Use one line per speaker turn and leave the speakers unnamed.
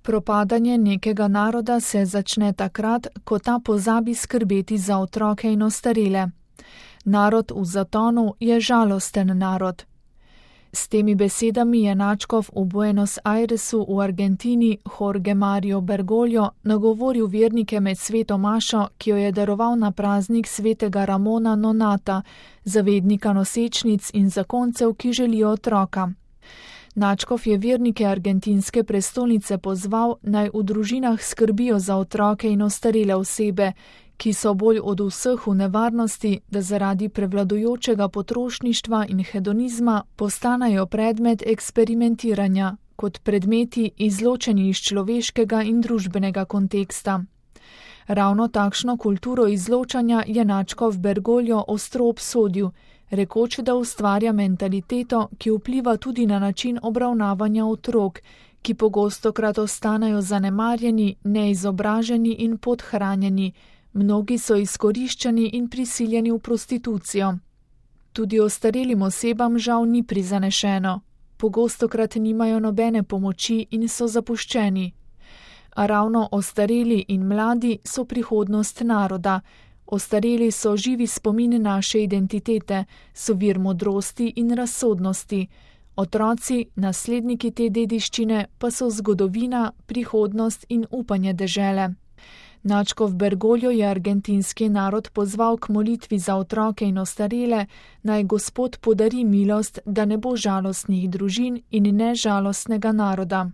Propadanje nekega naroda se začne takrat, ko ta pozabi skrbeti za otroke in ostarele. Narod v zatonu je žalosten narod. S temi besedami je nadškof v Buenos Airesu v Argentini Jorge Mario Bergoglio nagovoril vernike med sveto mašo, ki jo je daroval na praznik svetega Ramona Nonata, zavednika nosečnic in zakoncev, ki želijo otroka. Nadškof je vernike argentinske prestolnice pozval, naj v družinah skrbijo za otroke in ostarele osebe, ki so bolj od vseh v nevarnosti, da zaradi prevladujočega potrošništva in hedonizma postanejo predmet eksperimentiranja, kot predmeti izločeni iz človeškega in družbenega konteksta. Ravno takšno kulturo izločanja je nadškof Bergoglio ostro obsodil, rekoč, da ustvarja mentaliteto, ki vpliva tudi na način obravnavanja otrok, ki pogostokrat ostanejo zanemarjeni, neizobraženi in podhranjeni. Mnogi so izkoriščani in prisiljeni v prostitucijo. Tudi ostarelim osebam žal ni prizanešeno. Pogostokrat nimajo nobene pomoči in so zapuščeni. A ravno ostareli in mladi so prihodnost naroda. Ostareli so živi spomin naše identitete, so vir modrosti in razsodnosti. Otroci, nasledniki te dediščine, pa so zgodovina, prihodnost in upanje dežele. Nadškof Bergoglio je argentinski narod pozval k molitvi za otroke in ostarele, naj Gospod podari milost, da ne bo žalostnih družin in ne žalostnega naroda.